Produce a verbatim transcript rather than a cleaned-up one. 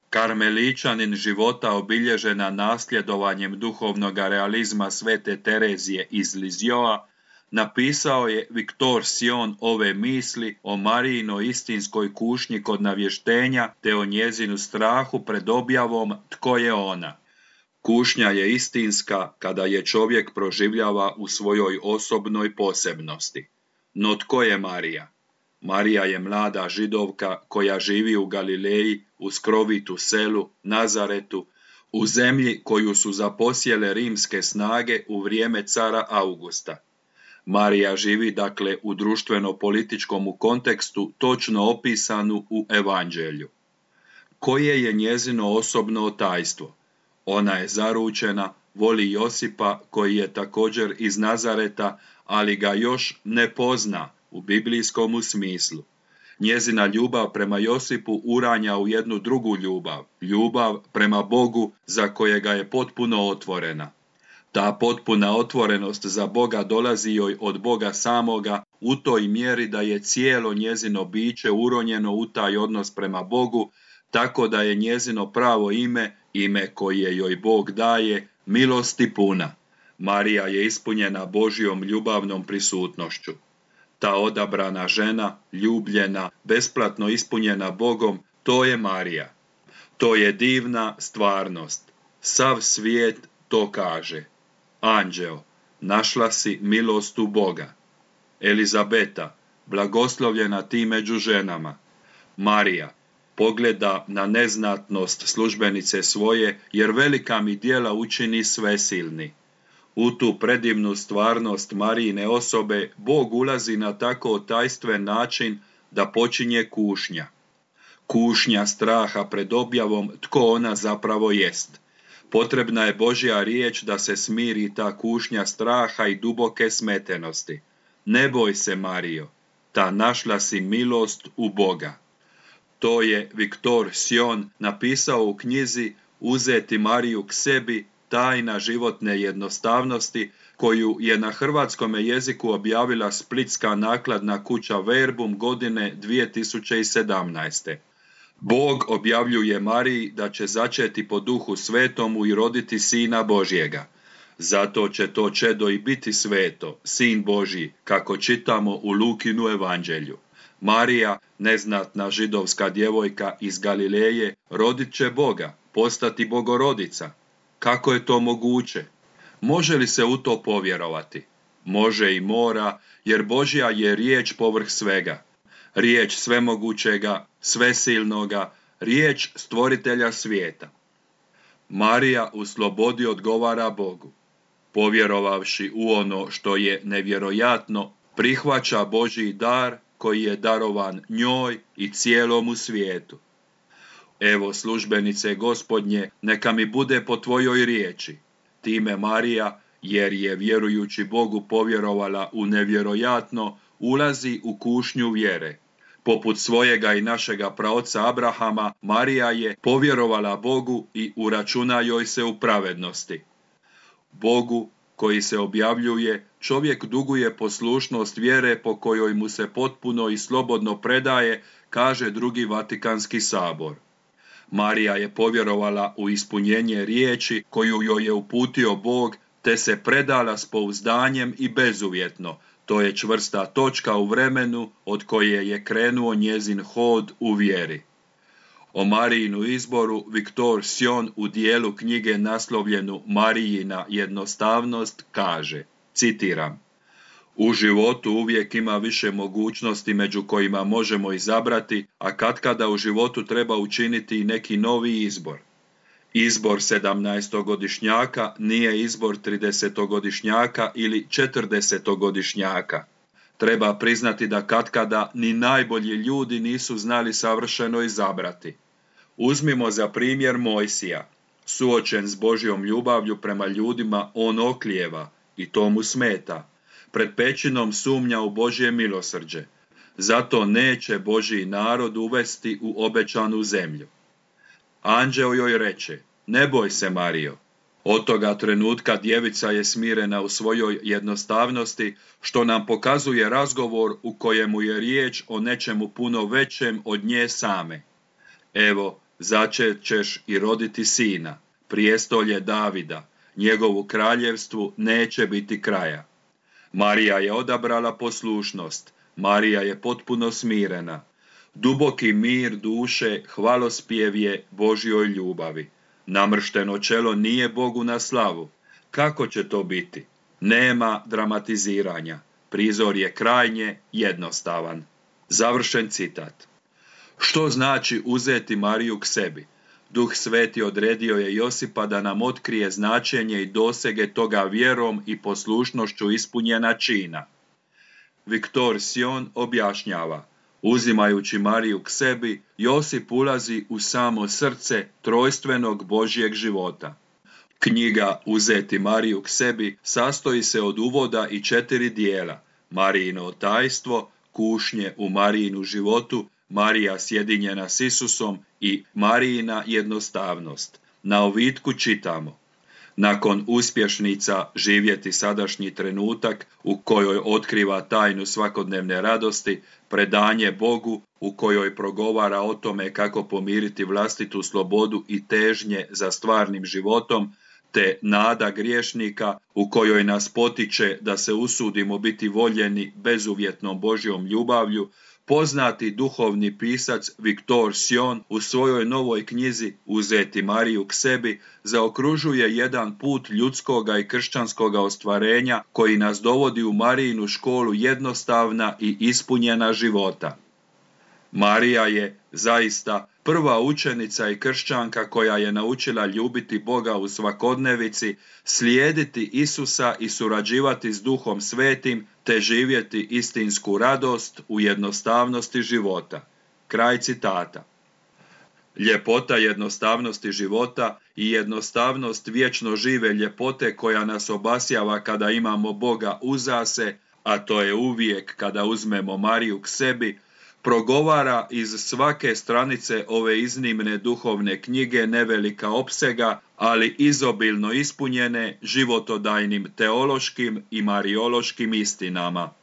Karmeličanin života obilježena nasljedovanjem duhovnog realizma svete Terezije iz Lizjoa, napisao je Viktor Sion ove misli o Marijinoj istinskoj kušnji kod navještenja te o njezinu strahu pred objavom tko je ona. Kušnja je istinska kada je čovjek proživljava u svojoj osobnoj posebnosti. No tko je Marija? Marija je mlada židovka koja živi u Galileji, u skrovitu selu, Nazaretu, u zemlji koju su zaposjele rimske snage u vrijeme cara Augusta. Marija živi dakle u društveno-političkom kontekstu točno opisanu u Evanđelju. Koje je njezino osobno tajstvo? Ona je zaručena, voli Josipa koji je također iz Nazareta, ali ga još ne pozna u biblijskom smislu. Njezina ljubav prema Josipu uranja u jednu drugu ljubav, ljubav prema Bogu za kojega je potpuno otvorena. Ta potpuna otvorenost za Boga dolazi joj od Boga samoga u toj mjeri da je cijelo njezino biće uronjeno u taj odnos prema Bogu, tako da je njezino pravo ime, ime koje joj Bog daje, milosti puna. Marija je ispunjena Božjom ljubavnom prisutnošću. Ta odabrana žena, ljubljena, besplatno ispunjena Bogom, to je Marija. To je divna stvarnost. Sav svijet to kaže. Anđeo, našla si milost u Boga. Elizabeta, blagoslovljena ti među ženama. Marija, pogleda na neznatnost službenice svoje, jer velika mi djela učini svesilni. U tu predivnu stvarnost Marijine osobe Bog ulazi na tako tajstven način da počinje kušnja. Kušnja straha pred objavom tko ona zapravo jest. Potrebna je Božja riječ da se smiri ta kušnja straha i duboke smetenosti. Ne boj se, Marijo, ta našla si milost u Boga. To je Viktor Sion napisao u knjizi Uzeti Mariju k sebi, tajna životne jednostavnosti, koju je na hrvatskom jeziku objavila splitska nakladna kuća Verbum godine dvije tisuće sedamnaeste. Bog objavljuje Mariji da će začeti po Duhu Svetomu i roditi Sina Božjega. Zato će to čedo i biti sveto, Sin Božji, kako čitamo u Lukinu evanđelju. Marija, neznatna židovska djevojka iz Galileje, rodit će Boga, postati Bogorodica. Kako je to moguće? Može li se u to povjerovati? Može i mora, jer Božja je riječ povrh svega. Riječ svemogućega, svesilnoga, riječ stvoritelja svijeta. Marija u slobodi odgovara Bogu. Povjerovavši u ono što je nevjerojatno, prihvaća Božji dar koji je darovan njoj i cijelomu svijetu. Evo službenice Gospodnje, neka mi bude po tvojoj riječi. Time Marija, jer je vjerujući Bogu povjerovala u nevjerojatno, ulazi u kušnju vjere. Poput svojega i našega praoca Abrahama, Marija je povjerovala Bogu i uračuna joj se u pravednosti. Bogu, koji se objavljuje, čovjek duguje poslušnost vjere po kojoj mu se potpuno i slobodno predaje, kaže drugi Vatikanski sabor. Marija je povjerovala u ispunjenje riječi koju joj je uputio Bog, te se predala s pouzdanjem i bezuvjetno. To je čvrsta točka u vremenu od koje je krenuo njezin hod u vjeri. O Marijinu izboru Viktor Sion u dijelu knjige naslovljenu Marijina jednostavnost kaže, citiram: U životu uvijek ima više mogućnosti među kojima možemo izabrati, a katkada u životu treba učiniti i neki novi izbor. Izbor sedamnaestogodišnjaka nije izbor tridesetogodišnjaka ili četrdesetogodišnjaka. Treba priznati da katkada ni najbolji ljudi nisu znali savršeno izabrati. Uzmimo za primjer Mojsija. Suočen s Božjom ljubavlju prema ljudima, on oklijeva i to mu smeta. Pred pećinom sumnja u Božje milosrđe. Zato neće Božji narod uvesti u obećanu zemlju. Anđeo joj reče, ne boj se, Marijo. Od toga trenutka djevica je smirena u svojoj jednostavnosti, što nam pokazuje razgovor u kojemu je riječ o nečemu puno većem od nje same. Evo, začet ćeš i roditi sina, prijestolje Davida, njegovu kraljevstvu neće biti kraja. Marija je odabrala poslušnost, Marija je potpuno smirena. Duboki mir duše hvalospjev je Božjoj ljubavi. Namršteno čelo nije Bogu na slavu. Kako će to biti? Nema dramatiziranja. Prizor je krajnje jednostavan. Završen citat. Što znači uzeti Mariju k sebi? Duh Sveti odredio je Josipa da nam otkrije značenje i dosege toga vjerom i poslušnošću ispunjena čina. Viktor Sion objašnjava, uzimajući Mariju k sebi, Josip ulazi u samo srce trojstvenog Božjeg života. Knjiga Uzeti Mariju k sebi sastoji se od uvoda i četiri dijela: Marijino tajstvo, kušnje u Marijinu životu, Marija sjedinjena s Isusom i Marijina jednostavnost. Na ovitku čitamo: nakon uspješnica živjeti sadašnji trenutak u kojoj otkriva tajnu svakodnevne radosti, predanje Bogu u kojoj progovara o tome kako pomiriti vlastitu slobodu i težnje za stvarnim životom, te nada griješnika u kojoj nas potiče da se usudimo biti voljeni bezuvjetnom Božjom ljubavlju, poznati duhovni pisac Viktor Sion u svojoj novoj knjizi Uzeti Mariju k sebi zaokružuje jedan put ljudskoga i kršćanskoga ostvarenja koji nas dovodi u Marijinu školu jednostavna i ispunjena života. Marija je zaista prva učenica i kršćanka koja je naučila ljubiti Boga u svakodnevici, slijediti Isusa i surađivati s Duhom Svetim, te živjeti istinsku radost u jednostavnosti života. Kraj citata. Ljepota jednostavnosti života i jednostavnost vječno žive ljepote koja nas obasjava kada imamo Boga uza se, a to je uvijek kada uzmemo Mariju k sebi, progovara iz svake stranice ove iznimne duhovne knjige nevelika opsega, ali izobilno ispunjene životodajnim teološkim i mariološkim istinama.